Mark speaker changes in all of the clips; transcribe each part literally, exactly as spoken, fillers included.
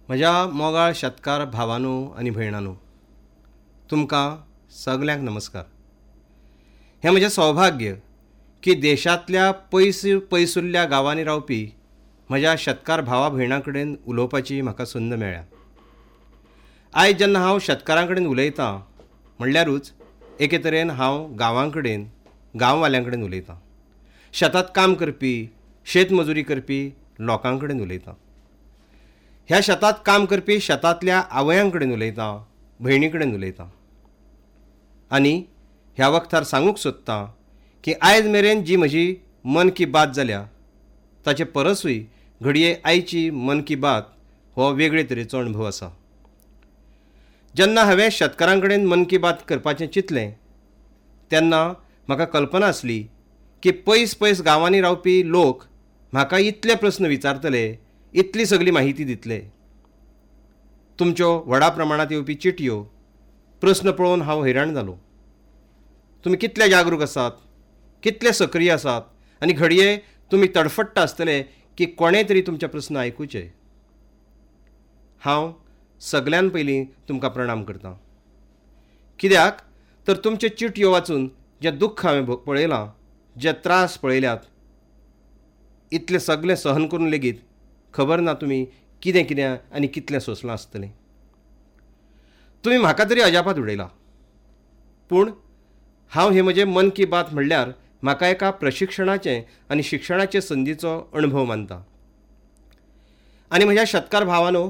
Speaker 1: म्हज्या मोगाळ शेतकार भावानो आनी भयणानो, तुमकां सगल्यांक नमस्कार. हें म्हजें सौभाग्य की देशांतल्या पयस पयसुल्ल्या गांवांनी रावपी म्हज्या शेतकार भावा भयणां कडेन उलोवपाची म्हाका संद मेळ्ळ्या. आयज जेन्ना हांव शेतकारां कडेन उलयतां म्हणल्यारूच एके तरेन हांव गांवां कडेन, गांववाल्यां कडेन उलयतां, शेतांत काम करपी, शेतमजुरी करपी लोकां कडेन उलयतां, ह्या शेतांत काम करपी शेतांतल्या आवयां कडेन उलयतां, भयणी कडेन उलयतां. आनी ह्या वखतार सांगूंक सोदतां की आयज मेरेन जी म्हजी मन की बात जाल्या ताचे परसूय घडये आयची मन की बात हो वेगळे तरेचो अणभव आसा. जेन्ना हांवें शेतकारां कडेन मन की बात करपाचें चिंतलें तेन्ना म्हाका कल्पना आसली की पयस पयस गांवांनी रावपी लोक म्हाका इतले प्रस्न विचारतले, इतली सगली माहिती दितले. तुमच्यो व्हडा प्रमाणांत येवपी चिटयो, प्रस्न पळोवन हांव हैराण जालो. तुमी कितले जागरूक आसात, कितले सक्रीय आसात आनी घडये तुमी तडफडटा आसतले की कोणें तरी तुमचे प्रस्न आयकुचे. हांव सगल्यान पयलीं तुमकां प्रणाम करतां, कित्याक तर तुमच्यो चिटयो वाचून जें दुख्ख हांवें पळयलां, जे त्रास पळयल्यात, इतलें सगलें सहन करून लेगीत खबर ना तुमी कितें कितें आनी कितलें सोंसलां आसतलें. तुमी म्हाका तरी अजापात उडयला, पूण हांव हे म्हजें मन की बात म्हणल्यार म्हाका एका प्रशिक्षणाचें आनी शिक्षणाचे संदीचो अणभव मानता. आनी म्हज्या शेतकार भावानो,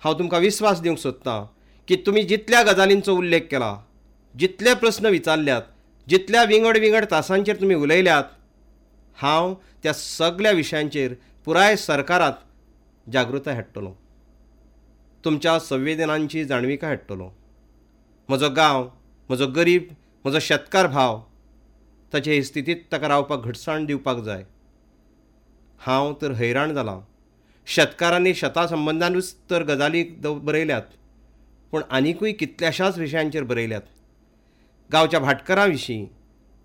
Speaker 1: हांव तुमकां विस्वास दिवंक सोदतां की तुमी जितल्या गजालींचो उल्लेख केला, जितले प्रस्न विचारल्यात, जितल्या विंगड विंगड तासांचेर तुमी उलयल्यात, हांव त्या सगल्या विशयांचेर पुराय सरकारांत जागृताय हाडटलो, तुमच्या संवेदनांची जाणविकाय हाडटलो. म्हजो गांव, म्हजो गरीब, म्हजो शेतकार भाव ताचे हे स्थितींत ताका रावपाक घटसाण दिवपाक जाय. हांव तर हैराण जालां. शेतकारांनी शेता संबंदानूच तर गजाली बरयल्यात, पूण आनिकूय कितल्याशाच विशयांचेर बरयल्यात. गांवच्या भाटकारां विशीं,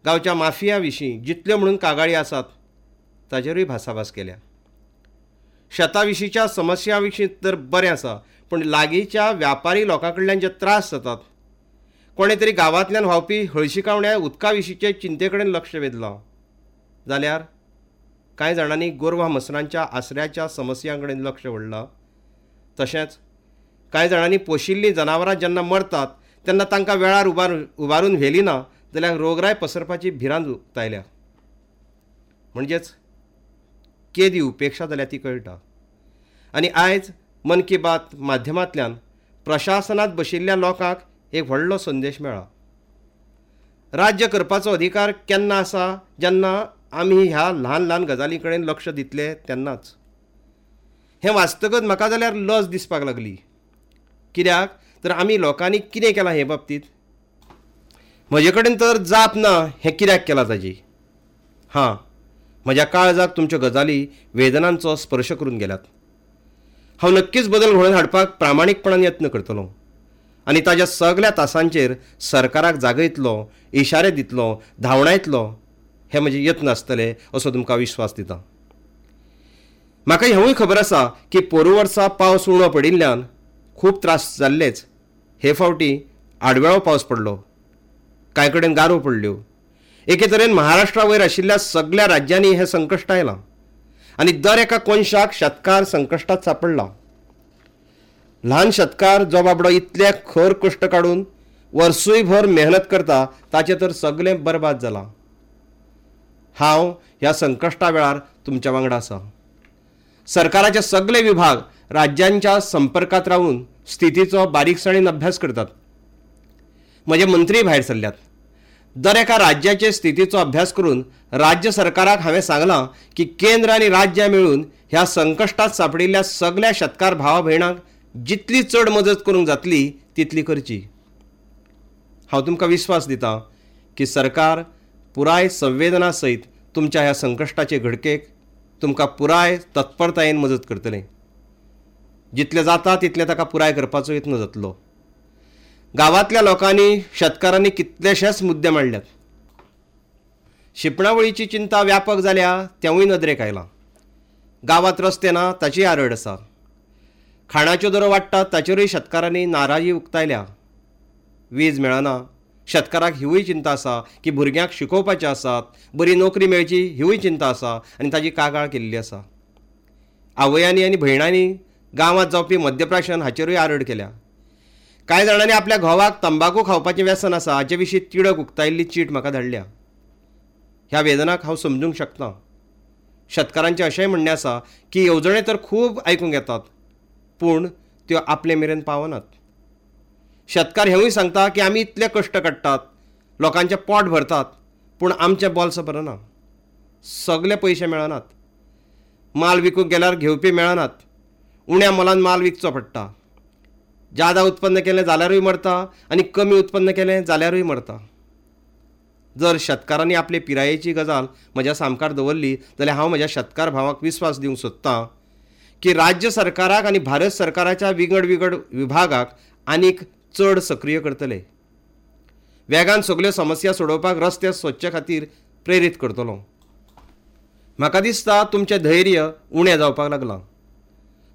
Speaker 1: गांवच्या माफिया विशीं जितल्यो म्हणून कागाळी आसात ताचेरूय भासाभास केल्या. शेता विशींच्या समस्या विशीं तर बरें आसा, पूण लागींच्या व्यापारी लोकां कडल्यान जे त्रास जातात, कोणें तरी गांवांतल्यान व्हांवपी हळशिकावण्या उदका विशींचे चिंते कडेन लक्ष वेधलां, जाल्यार कांय जाणांनी गोरवां म्हसरांच्या आसऱ्याच्या समस्यां कडेन लक्ष ओडलां. तशेंच कांय जाणांनी पोशिल्लीं जनावरां जेन्ना मरतात तेन्ना तांकां वेळार उबार उबारून व्हेली ना जाल्यार रोगराय पसरपाची भिरांत उक्तायल्या. म्हणजेच केदी उपेक्षा जाल्या ती कळटा. आनी आयज मन की बात माध्यमांतल्यान प्रशासनांत बशिल्ल्या लोकांक एक व्हडलो संदेश मेळ्ळा. राज्य करपाचो अधिकार केन्ना आसा, जेन्ना आमी ह्या ल्हान ल्हान गजालीं कडेन लक्ष दितले तेन्नाच. हें वाचतकच म्हाका जाल्यार लज दिसपाक लागली, कित्याक तर आमी लोकांनी कितें केलां हे बाबतींत म्हजे कडेन तर जाप ना हें कित्याक केलां ताजी. हां, म्हज्या काळजाक तुमच्यो गजाली वेदनांचो स्पर्श करून गेल्यात. हांव नक्कीच बदल घडोवन हाडपाक प्रामाणीकपणान यत्न करतलो आनी ताज्या सगल्या तासांचेर सरकाराक जागयतलो, इशारे दितलो, धांवडायतलो, हे म्हजे यत्न आसतले असो तुमकां विश्वास दिता. म्हाका हेंवूय खबर आसा की पोरूं वर्सा पावस उणो पडिल्ल्यान खूब त्रास जाल्लेच. हे फावटी आडवेळो पावस पडलो, कांय कडेन गारो पडल्यो. एके तरेन महाराष्ट्रा वयर आशिल्ल्या सगल्या राज्यांनी हें संकश्ट आयलां आनी दर एका कोनशाक शेतकार संकश्टांत सापडला. ल्हान शेतकार जो बाबडो इतले खर कश्ट काडून वर्सूय भर मेहनत करता ताचें तर सगलें बरबाद जालां. हांव ह्या संकश्टा वेळार तुमच्या वांगडा आसा. सरकाराचे सगले विभाग राज्यांच्या संपर्कांत रावून स्थितीचो बारीकसाणीन अभ्यास करतात. म्हजे मंत्रीय भायर सरल्यात. दर एका राज्याचे स्थितीचो अभ्यास करून राज्य सरकाराक हांवें सांगलां की केंद्र आनी राज्यां मेळून ह्या संकश्टांत सांपडिल्ल्या सगल्या शेतकार भावा भयणांक जितली चड मदत करूंक जातली तितली करची. हांव तुमकां विस्वास दितां की सरकार पुराय संवेदना सयत तुमच्या ह्या संकश्टाचे घडकेक तुमकां पुराय तत्परतायेन मदत करतलें. जितलें जाता तितलें ताका पुराय करपाचो यत्न जातलो. गांवांतल्या लोकांनी, शेतकारांनी कितलेशेच मुद्दे मांडल्यात. शिंपणावळीची चिंता व्यापक जाल्या तेंवूय नदरेक आयलां. गांवांत रस्ते ना ताची आरड आसा. खाणाच्यो दरो वाडटात ताचेरूय शेतकारांनी नाराजी उक्तायल्या. वीज मेळना, शेतकाराक हिवूय चिंता आसा की भुरग्यांक शिकोवपाचें आसात, बरी नोकरी मेळची हिवूय चिंता आसा आनी ताजी कागाळ केल्ली आसा. आवयांनी आनी भयणांनी गांवांत जावपी मद्यप्राशन हाचेरूय आरड केल्या. कांय जाणांनी आपल्या घोवाक तंबाकू खावपाचें व्यसन आसा हाचे विशीं तिडक उक्तायल्ली चीट म्हाका धाडल्या. ह्या वेदनाक हांव समजूंक शकता. शेतकारांचें अशेंय म्हणणें आसा की येवजणे तर खूब आयकूंक येतात पूण त्यो आपले मेरेन पावनात. शेतकार हेवूय सांगता की आमी इतले कश्ट काडटात, लोकांचें पोट भरतात, पूण आमचें बोल्स भरना, सगळे पयशे मेळनात, माल विकूंक गेल्यार घेवपी मेळनात, उण्या मोलान माल विकचो पडटा, जादा उत्पन्न केलें जाल्यारूय मरता आनी कमी उत्पन्न केलें जाल्यारूय मरता. जर शेतकारांनी आपले पिरायेची गजाल म्हज्या सामकार दवरली जाल्यार हांव म्हज्या शेतकार भावाक विस्वास दिवंक सोदतां की राज्य सरकाराक आनी भारत सरकाराच्या विंगड विंगड विभागाक आनीक चड सक्रीय करतले. वेगान सगल्यो समस्या सोडोवपाक रस्ते सोदचे खातीर प्रेरीत करतलो. म्हाका दिसता तुमचें धैर्य उणें जावपाक लागलां.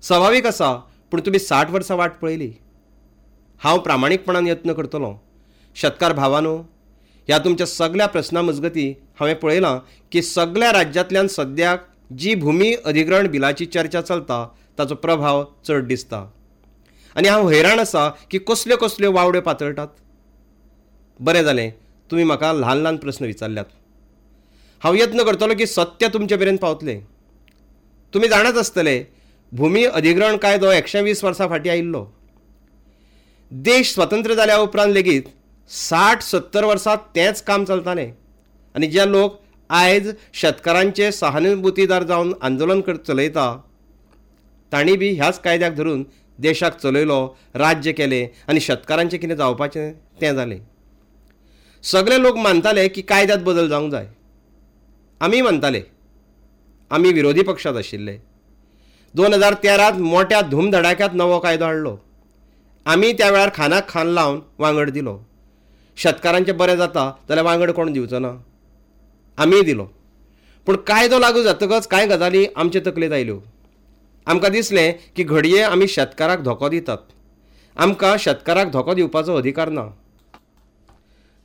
Speaker 1: सभावीक आसा, पूण तुमी साठ वर्सां वाट पळयली. हांव प्रामाणीकपणान यत्न करतलो. शेतकार भावानो, ह्या तुमच्या सगल्या प्रस्नां मजगतीं हांवें पळयलां की सगल्या राज्यांतल्यान सद्याक जी भुमी अधिग्रहण बिलाची चर्चा चलता ताचो प्रभाव चड दिसता आनी हांव हैराण आसा की कसल्यो कसल्यो वावड्यो पातळटात. बरें जालें तुमी म्हाका ल्हान ल्हान प्रस्न विचारल्यात. हांव यत्न करतलो की सत्य तुमचे मेरेन पावतलें. तुमी जाणाच आसतले, भुमी अधिग्रहण कायदो एकशे वीस वर्सां फाटीं आयिल्लो. देश स्वतंत्र जाल्या उपरांत लेगीत साठ सत्तर वर्सां तेंच काम चलतालें आनी जे लोक आयज शेतकारांचे सहानुभूतीदार जावन आंदोलन कर चलयता तांणी बी ह्याच कायद्याक धरून देशाक चलयलो, राज्य केलें आनी शेतकारांचें कितें जावपाचें तें जालें. सगळे लोक मानताले की कायद्यांत बदल जावंक जाय. आमी मानताले, आमी विरोधी पक्षांत आशिल्ले. दोन हजार तेरांत मोट्या धूमधडाक्यांत नवो कायदो हाडलो. आमी त्या वेळार खानाक खान लावन वांगड दिलो. शेतकारांचें बरें जाता जाल्यार वांगड कोण दिवचो ना, आमीय दिलो. पूण कायदो लागू जातकच कांय गजाली आमचे तकलेंत आयल्यो. आमकां दिसलें की घडये आमी शेतकाराक धोको दितात. आमकां शेतकाराक धोको दिवपाचो अधिकार ना.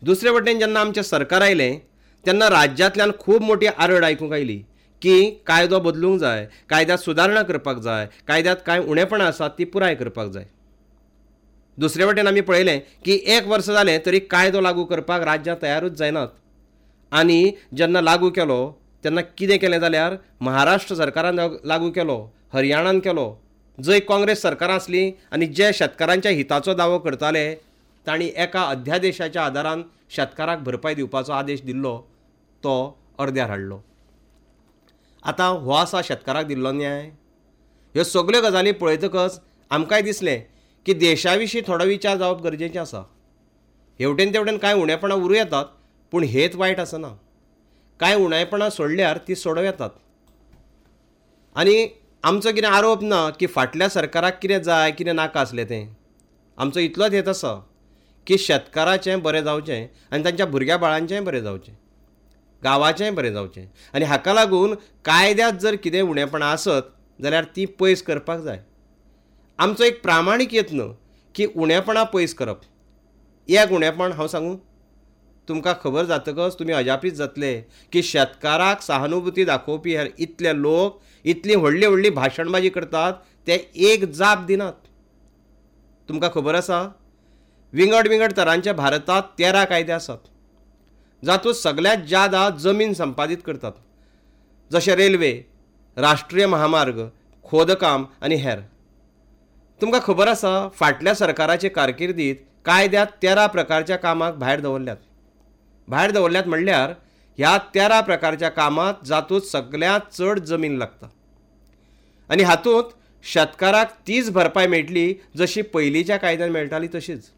Speaker 1: दुसरे वटेन जेन्ना आमचें सरकार आयलें तेन्ना राज्यांतल्यान खूब मोटी आरड आयकूंक आयली की कायदो बदलूंक जाय, कायद्यांत सुदारणा करपाक जाय, कायद्यांत कांय उणेपणां आसात ती पुराय करपाक जाय. दुसरे वटेन आमी पळयलें की एक वर्स जालें तरी कायदो लागू करपाक राज्यां तयारूच जायनात. आनी जेन्ना लागू केलो तेन्ना कितें केलें जाल्यार महाराष्ट्र सरकारान लागू केलो, हरियाणान केलो. जंय काँग्रेस सरकारां आसलीं आनी जे शेतकारांच्या हिताचो दावो करताले तांणी एका अध्यादेशाच्या आदारान शेतकाराक भरपाय दिवपाचो आदेश दिल्लो तो अर्द्यार हाडलो. आतां हो आसा शेतकाराक दिल्लो न्याय. ह्यो सगल्यो गजाली पळयतकच आमकांय दिसलें की देशा विशीं थोडो विचार जावप गरजेचें आसा. हेवटेन तेवटेन कांय उणेपणां उरूं येतात पूण हेत वायट आसना. कांय उणेपणां सोडल्यार ती सोडोवं येतात. आनी आमचो कितें आरोप ना की फाटल्या सरकाराक कितें जाय कितें नाका आसलें तें. आमचो इतलोच हेत आसा की शेतकाराचें बरें जावचें आनी तांच्या भुरग्या बाळांचेंय बरें जावचें, गांवाचेंय बरें जावचें. आनी हाका लागून कायद्यांत जर कितें उणेपणां आसत जाल्यार ती पयस करपाक जाय. आमचो एक प्रामाणीक यत्न की उणेपणां पयस करप. एक उणेपण हांव सांगूं, तुमकां खबर जातकच तुमी अजापीत जातले की शेतकाराक सहानुभूती दाखोवपी हेर इतले लोक इतली व्हडली व्हडली भाशणबाजी करतात ते एक जाप दिनात. तुमकां खबर आसा, विंगड विंगड तरांच्या भारतांत तेरा कायदे आसात जातूंत सगळ्यांत ज्यादा जमीन संपादीत करतात, जशे रेल्वे, राष्ट्रीय महामार्ग, खोदकाम आनी हेर. तुमकां खबर आसा, फाटल्या सरकाराचे कारकिर्दीत कायद्यांत तेरा प्रकारच्या कामाक भायर दवरल्यात. भायर दवरल्यात म्हणल्यार ह्या तेरा प्रकारच्या कामांत जातूंत सगळ्यांत चड जमीन लागता आनी हातूंत शेतकाराक तीच भरपाय मेळटली जशी पयलींच्या कायद्यान मेळटाली तशीच.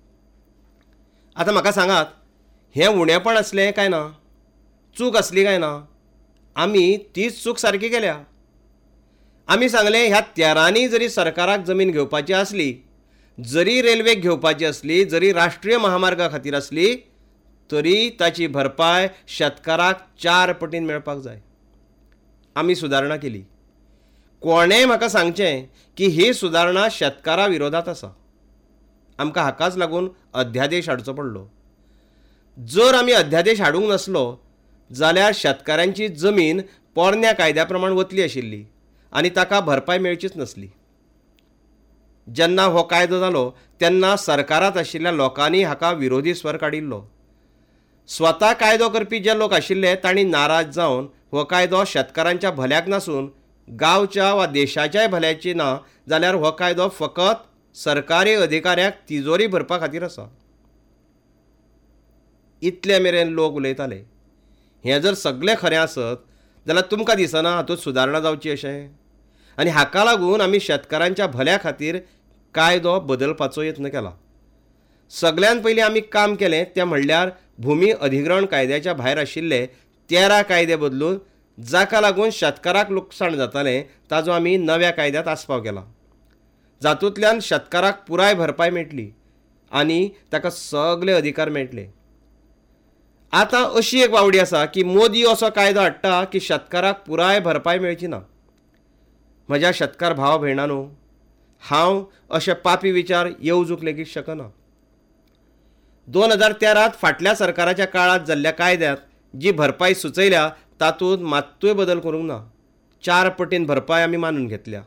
Speaker 1: आतां म्हाका सांगात, हें उणेपण आसलें काय ना, चूक आसली काय ना? आमी तीच चूक सारकी केल्या. आमी सांगलें ह्या तेरांनी जरी सरकाराक जमीन घेवपाची आसली, जरी रेल्वेक घेवपाची आसली, जरी राष्ट्रीय महामार्गा खातीर आसली, तरी ताची भरपाय शेतकाराक चार पटीन मेळपाक जाय. आमी सुदारणा केली. कोणेंय म्हाका सांगचें की ही सुदारणा शेतकारा विरोधात आसा. आमकां हाकाच लागून अध्यादेश हाडचो पडलो. जर आमी अध्यादेश हाडूंक नासलो जाल्यार शेतकारांची जमीन पोरण्या कायद्या प्रमाण वतली आशिल्ली आनी ताका भरपाय मेळचीच नासली. जेन्ना हो कायदो जालो तेन्ना सरकारांत आशिल्ल्या लोकांनी हाका विरोधी स्वर काडिल्लो. स्वता कायदो करपी जे लोक आशिल्ले तांणी नाराज जावन हो कायदो शेतकारांच्या भल्याक नासून गांवच्या वा देशाच्याय भल्याची ना जाल्यार हो कायदो फकत सरकारी अधिकाऱ्यांक तिजोरी भरपा खातीर आसा इतले मेरेन लोक उलयताले. हें जर सगळें खरें आसत जाल्यार तुमकां दिसना हातूंत सुदारणा जावची अशें? आनी हाका लागून आमी शेतकारांच्या भल्या खातीर कायदो बदलपाचो यत्न केला. सगळ्यान पयलीं आमी काम केलें तें म्हणल्यार भुमी अधिग्रहण कायद्याच्या भायर आशिल्ले तेरा कायदे बदलून जाका लागून शेतकाराक लुकसाण जातालें ताजो आमी नव्या कायद्यांत आस्पाव केला, जातूंतल्यान शेतकाराक पुराय भरपाय मेळटली आनी ताका सगळे अधिकार मेळटले. आतां अशी एक वावडी आसा की मोदी असो कायदो हाडटा की शेतकाराक पुराय भरपाय मेळची ना. म्हज्या शेतकार भाव भयणांनो, हांव अशे पापी विचार येवजूंक लेगीत शकना. दोन हजार तेरांत फाटल्या सरकाराच्या काळांत जाल्ल्या कायद्यांत जी भरपाय सुचयल्या तातूंत मात्तूय बदल करूंक ना. चार पटीन भरपाय आमी मानून घेतल्या.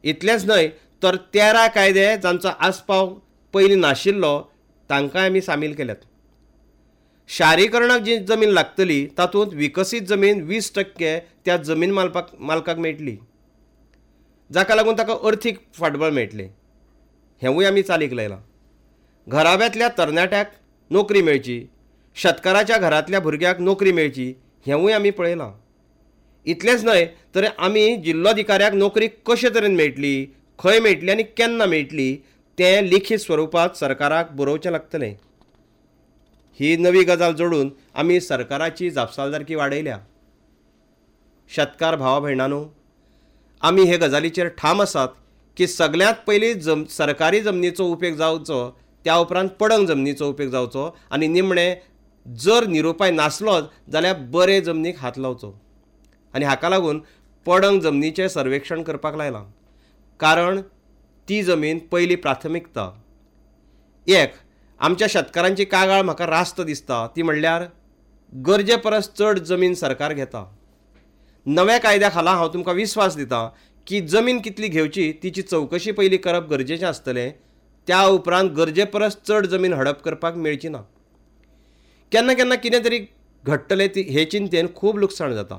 Speaker 1: इतलेंच न्हय तर तेरा कायदे जांचो आस्पाव पयलीं नाशिल्लो तांकांय आमी सामील केल्यात. शारीकरणाक जी जमीन लागतली तातूंत विकसीत जमीन वीस टक्के त्या जमीन मालपाक मालकाक मेळटली, जाका लागून ताका अर्थीक फाटबळ मेळटलें. हेंवूय आमी चालीक लायलां. घराब्यांतल्या तरणाट्याक नोकरी मेळची, शेतकाराच्या घरांतल्या भुरग्याक नोकरी मेळची हेंवूय आमी पळयलां. इतलेंच न्हय तर आमी जिल्लोधिकाऱ्याक नोकरी कशे तरेन मेळटली, खंय मेळटली आनी केन्ना मेळटली तें लिखीत स्वरुपांत सरकाराक बरोवचें लागतलें. ही नवी गजाल जोडून आमी सरकाराची जापसालदारकी वाडयल्या. शेतकार भावा भयणांनो, आमी हे गजालीचेर ठाम आसात की सगळ्यांत पयलीं जम सरकारी जमनीचो उपेग जावचो, त्या उपरांत पडंग जमनीचो उपेग जावचो आनी निमणें जर निरुपाय नासलोच जाल्यार बरे जमनीक हात लावचो. आनी हाका लागून पडंग जमनीचें सर्वेक्षण करपाक लायलां, कारण ती जमीन पयली प्राथमिकता. एक आमच्या शेतकारांची कागाळ म्हाका रास्त दिसता ती म्हणल्यार गरजे परस चड जमीन सरकार घेता. नव्या कायद्या खाला हांव तुमकां विस्वास दिता की जमीन कितली घेवची तिची चवकशी पयली करप गरजेचें आसतलें, त्या उपरांत गरजे परस चड जमीन हडप करपाक मेळची ना. केन्ना केन्ना कितें तरी घडटलें ती हे चिंतेन खूब लुकसाण जाता.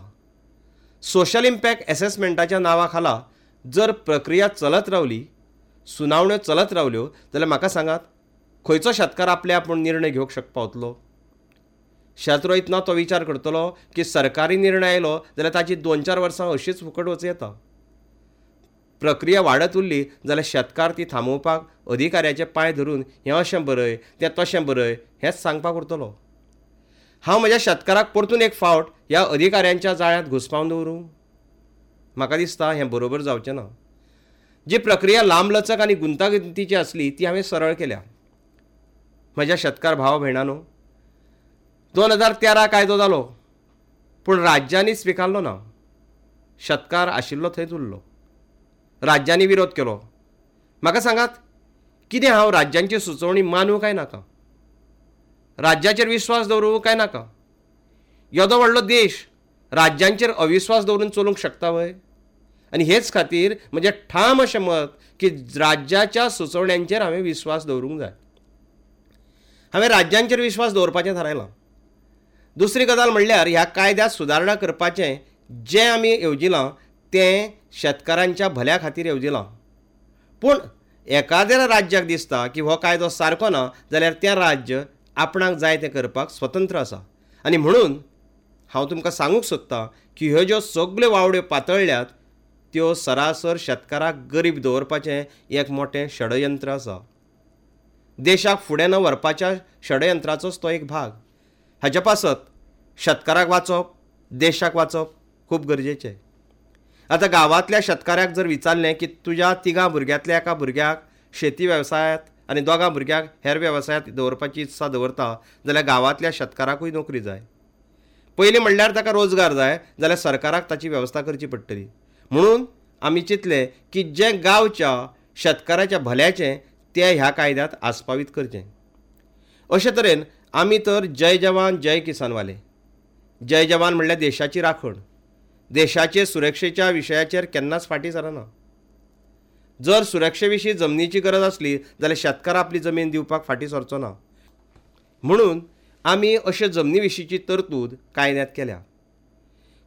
Speaker 1: सोशल इम्पॅक्ट एसेसमेंटाच्या नांवा खाला जर प्रक्रिया चलत रावली, सुनावण्यो चलत रावल्यो जाल्यार म्हाका सांगात खंयचो शेतकार आपले आपूण निर्णय घेवंक शक पावतलो? शेत रोयतना तो विचार करतलो की सरकारी निर्णय आयलो जाल्यार ताची दोन चार वर्सां अशीच फुकट वचूं येता. प्रक्रिया वाडत उरली जाल्यार शेतकार ती थांबोवपाक अधिकाऱ्याचे पांय धरून हें अशें बरय तें तशें बरय हेंच सांगपाक उरतलो. हांव म्हज्या शेतकाराक परतून एक फावट ह्या अधिकाऱ्यांच्या जाळ्यांत घुसपावन दवरूं? म्हाका दिसता हें बरोबर जावचें ना. जी प्रक्रिया लांबलचक आनी गुंतागुंतीची आसली ती हांवें सरळ केल्या. म्हज्या शेतकार भाव भयणांनो, दोन हजार तेरा कायदो जालो पूण राज्यांनी स्विकारलो ना. शेतकार आशिल्लो थंयच उरलो. राज्यांनी विरोध केलो. म्हाका सांगात कितें हांव राज्यांची सुचोवणी मानूं काय नाका? राज्याचेर विस्वास दवरूं काय नाका? येदो व्हडलो देश राज्यांचेर अविस्वास दवरून चलूंक शकता व्हय? आनी हेच खातीर म्हजें ठाम अशें मत की राज्याच्या सुचोवण्यांचेर हांवें विस्वास दवरूंक जाय. हांवें राज्यांचेर विस्वास दवरपाचें थारायलां. दुसरी गजाल म्हणल्यार ह्या कायद्यांत सुदारणा करपाचें जें आमी येवजिलां तें शेतकारांच्या भल्या खातीर येवजिलां. पूण एकाद्या राज्याक दिसता की हो कायदो सारको ना जाल्यार तें राज्य आपणाक जाय तें करपाक स्वतंत्र आसा. आनी म्हणून हांव तुमकां सांगूंक सोदतां की ह्यो ज्यो सगल्यो वावड्यो पातळ्ळ्यात त्यो सरासर शेतकाराक गरीब दवरपाचें एक मोटें षडयंत्र आसा. देशाक फुडें न व्हरपाच्या षडयंत्राचोच तो एक भाग. हाच्या पासत शेतकाराक वाचप, देशाक वाचप खूब गरजेचें. आतां गांवांतल्या शेतकाराक जर विचारलें की तुज्या तिगां भुरग्यांतल्या एका भुरग्याक शेती वेवसायांत आनी दोगां भुरग्यांक हेर वेवसायांत दवरपाची इत्सा दवरता जाल्यार गांवांतल्या शेतकाराकूय नोकरी जाय. पयलीं म्हणल्यार ताका रोजगार जाय जाल्यार सरकाराक ताची वेवस्था करची पडटली. म्हणून आमी चिंतलें की जें गांवच्या शेतकाराच्या भल्याचें तें ह्या कायद्यांत आस्पावीत करचें. अशे तरेन आमी तर जय जवान जय किसान वाले. जय जवान म्हणल्यार देशाची राखण, देशाचे सुरक्षेच्या विशयाचेर केन्नाच फाटीं सरना. जर सुरक्षे विशीं जमनीची गरज आसली जाल्यार शेतकार आपली जमीन दिवपाक फाटीं सरचो ना. म्हणून आमी अशे जमनी विशींची तरतूद कायद्यांत केल्या.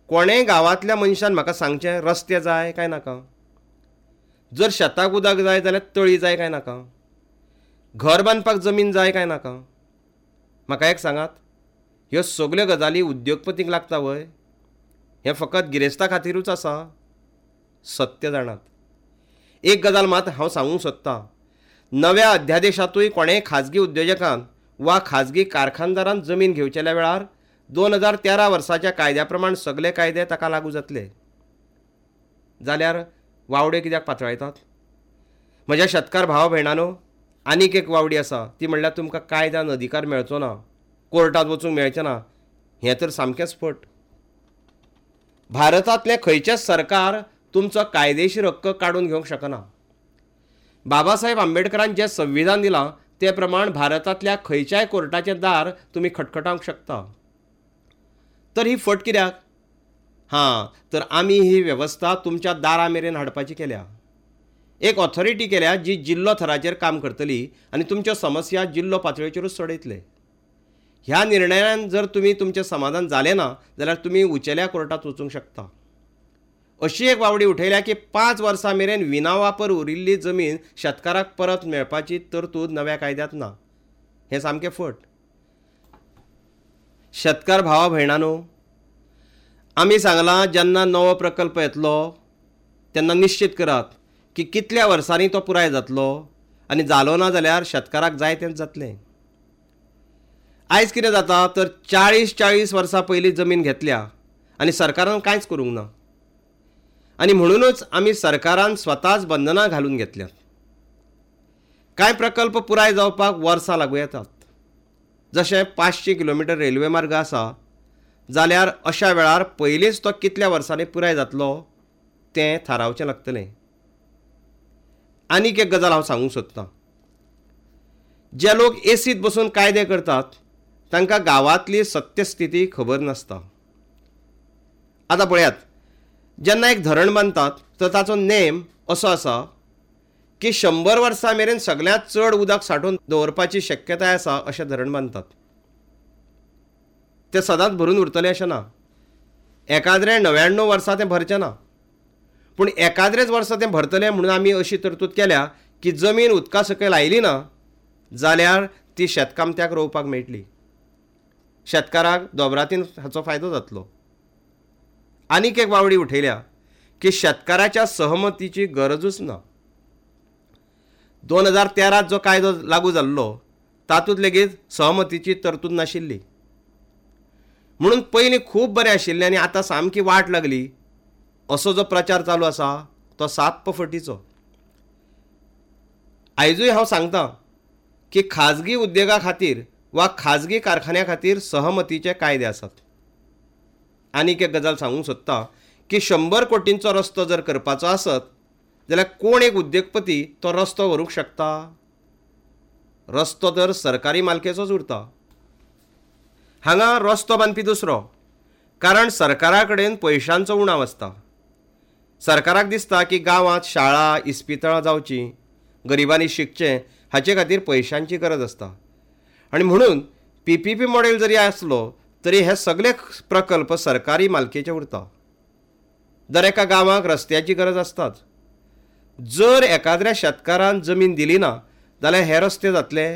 Speaker 1: कोणेय गांवांतल्या मनशान म्हाका सांगचें, रस्ते जाय काय नाका, जर शेताक उदक जाय जाल्यार तळी जाय काय नाका, घर बांदपाक जमीन जाय काय नाका. म्हाका एक सांगात, ह्यो सगल्यो गजाली उद्योगपतींक लागता व्हय? हें फकत गिरेस्ता खातीरूच आसा? सत्य जाणात. एक गजाल मात हांव सांगूंक सोदतां, नव्या अध्यादेशांतूय कोणेय खाजगी उद्योजकान वा खाजगी कारखानदारान जमीन घेवचेल्या वेळार दोन हजार तेरा वर्साच्या कायद्या प्रमाण सगले कायदे ताका लागू जातले. जाल्यार वावड्यो कित्याक पातळायतात? म्हज्या शेतकार भाव भयणानो, आनीक एक वावडी आसा, ती म्हणल्यार तुमकां कायद्यान अधिकार मेळचो ना, कोर्टांत वचूंक मेळचें ना. हें तर सामकेंच फट. भारतांतलें खंयचेंच सरकार तुमचो कायदेशीर हक्क काडून घेवंक शकना. बाबासाहेब आंबेडकरान जें संविधान दिलां ते प्रमाण भारतांतल्या खंयच्याय कोर्टाचें दार तुमी खटखटावंक शकता. तर ही फट कित्याक? हां, तर आमी ही वेवस्था तुमच्या दारा मेरेन हाडपाची केल्या. एक ऑथॉरिटी केल्या जी जिल्लो थराचेर काम करतली आनी तुमच्यो समस्या जिल्लो पातळेचेरूच सोडयतले. ह्या निर्णयान जर तुमी तुमचें समाधान जालें ना जाल्यार तुमी उंचेल्या कोर्टांत वचूंक शकता. अशी एक वावडी उठयल्या की पांच वर्सां मेरेन विनावापर उरिल्ली जमीन शेतकाराक परत मेळपाची तरतूद नव्या कायद्यांत ना. हें सामकें फट. शेतकार भावा भयणानो, आमी सांगलां जेन्ना नवो प्रकल्प येतलो तेन्ना निश्चित करात की कितल्या वर्सांनी तो पुराय जातलो आनी जालो ना जाल्यार शेतकाराक जाय तेंच जातलें. आयज कितें जाता तर चाळीस चाळीस वर्सां पयलीं जमीन घेतल्या आनी सरकारान कांयच करूंक ना. आनी म्हणूनच आमी सरकारान स्वताच बंधनां घालून घेतल्यात. कांय प्रकल्प पुराय जावपाक वर्सां लागूं येतात. जशें पांचशे किलोमिटर रेल्वे मार्ग आसा जाल्यार अशा वेळार पयलींच तो कितल्या वर्सांनी पुराय जातलो तें थारावचें लागतलें. आनीक एक गजाल हांव सांगूंक सोदतां, जे लोक एसींत बसून कायदे करतात तांकां गांवांतली सत्यस्थिती खबर नासता. आतां पळयात, जेन्ना एक धरण बांदतात तर ताचो नेम असो आसा की शंबर वर्सां मेरेन सगळ्यांत चड उदक सांठोवन दवरपाची शक्यताय आसा अशें धरण बांदतात. तें सदांच भरून उरतलें अशें ना. एकाद्रें णव्याण्णव वर्सां तें भरचें ना, पूण एकाद्रेच वर्सा तें भरतलें म्हणून आमी अशी तरतूद केल्या की जमीन उदका सकयल आयली ना जाल्यार ती शेतकामत्याक रोवपाक मेळटली, शेतकाराक दोबरातीन हाचो फायदो जातलो. आनीक एक वावडी उठयल्या की शेतकाराच्या सहमतीची गरजूच ना. दोन हजार तेरांत जो कायदो लागू जाल्लो तातूंत लेगीत सहमतीची तरतूद नाशिल्ली. म्हणून पयलीं खूब बरें आशिल्लें आनी आतां सामकी वाट लागली असो जो प्रचार चालू आसा तो साप्प फटीचो. आयजूय हांव सांगतां की खाजगी उद्देगा खातीर वा खाजगी कारखान्या खातीर सहमतीचे कायदे आसात. आनीक एक गजाल सांगूंक सोदता की शंबर कोटींचो रस्तो जर करपाचो आसत जाल्यार कोण एक उद्देगपती तो रस्तो व्हरूंक शकता? रस्तो तर सरकारी मालकेचोच उरता. हांगा रस्तो बांदपी दुसरो, कारण सरकारा कडेन पयशांचो उणाव आसता. सरकाराक दिसता की गांवांत शाळा इस्पितळां जावचीं, गरिबांनी शिकचें, हाचे खातीर पयशांची गरज आसता. आनी म्हणून पी पी पी मॉडेल जरी आसलो तरी हे सगळे प्रकल्प सरकारी मालकेचे उरता. दर एका गांवाक रस्त्याची गरज आसताच. जर एकाद्र्या शेतकारान जमीन दिली ना जाल्यार हे रस्ते जातले.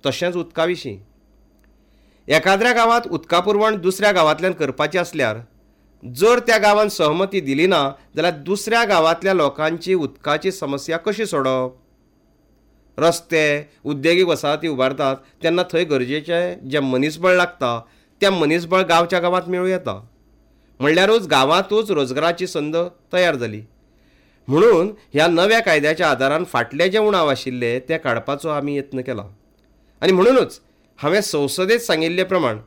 Speaker 1: तशेंच उदका विशीं, एकाद्र्या गांवांत उदका पुरवण दुसऱ्या गांवांतल्यान करपाची आसल्यार जर त्या गांवान सहमती दिली ना जाल्यार दुसऱ्या गांवांतल्या लोकांची उदकाची समस्या कशी सोडप? रस्ते, उद्देगीक वसाहती उबारतात तेन्ना थंय गरजेचें जें मनीसबळ लागता तें मनीसबळ गांवच्या गांवांत मेळूं येता. म्हणल्यारूच गांवांतूच रोजगाराची संद तयार जाली. म्हणून ह्या नव्या कायद्याच्या आदारान फाटले जे उणाव आशिल्ले ते काडपाचो आमी यत्न केला. आनी म्हणूनच हांवें संसदेत सांगिल्ले प्रमाण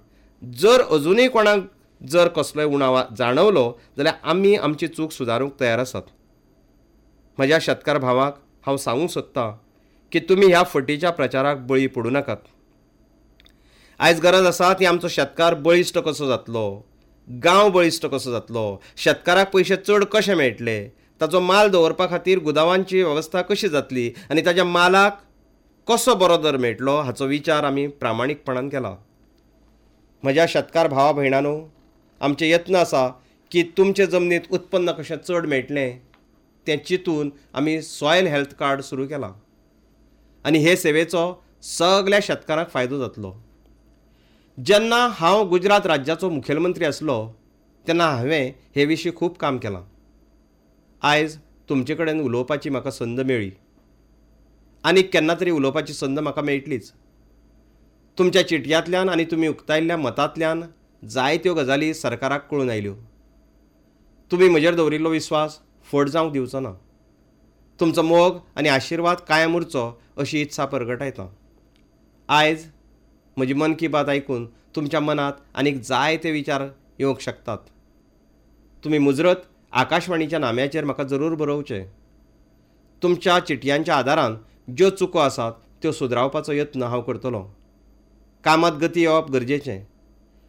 Speaker 1: जर अजुनूय कोणाक जर कसलोय उणाव जाणवलो जाल्यार आमी आमची चूक सुदारूंक तयार आसात. म्हज्या शेतकार भावाक हांव सांगूंक सोदतां की तुमी ह्या फटीच्या प्रचाराक बळी पडूं नाकात. आयज गरज आसा ती आमचो शेतकार बळिश्ट कसो जातलो, गांव बळिश्ट कसो जातलो, शेतकाराक पयशे चड कशे मेळटले, ताचो माल दवरपा खातीर गुदावांची वेवस्था कशी जातली आनी ताच्या मालाक कसो बरो दर मेळटलो हाचो विचार आमी प्रामाणीकपणान केला. म्हज्या शेतकार भावा भयणांनो, आमचे यत्न आसा की तुमचे जमनींत उत्पन्न कशें चड मेळटलें तें चिंतून आमी सॉयल हेल्थ कार्ड सुरू केलां आनी हे सेवेचो सगल्या शेतकारांक फायदो जातलो. जेन्ना हांव गुजरात राज्याचो मुखेलमंत्री आसलो तेन्ना हांवें हे विशीं खूब काम केलां. आयज तुमचे कडेन उलोवपाची म्हाका संद मेळ्ळी आनी केन्ना तरी उलोवपाची संद म्हाका मेळटलीच. तुमच्या चिटयांतल्यान आनी तुमी उक्तायल्ल्या मतांतल्यान जायत्यो गजाली सरकाराक कळून आयल्यो. तुमी म्हजेर दवरिल्लो विस्वास फट जावंक दिवचो ना. तुमचो मोग आनी आशिर्वाद कायम उरचो अशी इत्सा परगटायता. आयज म्हजी मन की बात आयकून तुमच्या मनांत आनीक जायते विचार येवंक शकतात. तुमी मुजरत आकाशवाणीच्या नाम्याचेर म्हाका जरूर बरोवचें. तुमच्या चिटयांच्या आदारान ज्यो चुको आसात त्यो सुदरावपाचो यत्न हांव करतलो. कामांत गती येवप गरजेचें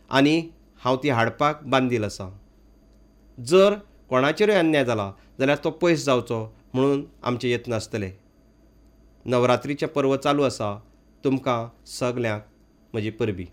Speaker 1: आनी हांव ती हाडपाक बांदील आसा. जर कोणाचेरूय अन्याय जाला जाल्यार तो पयस जावचो म्हणून आमचे यत्न आसतले. नवरात्रीचें पर्व चालू आसा. तुमकां सगल्यांक म्हजी परबीं.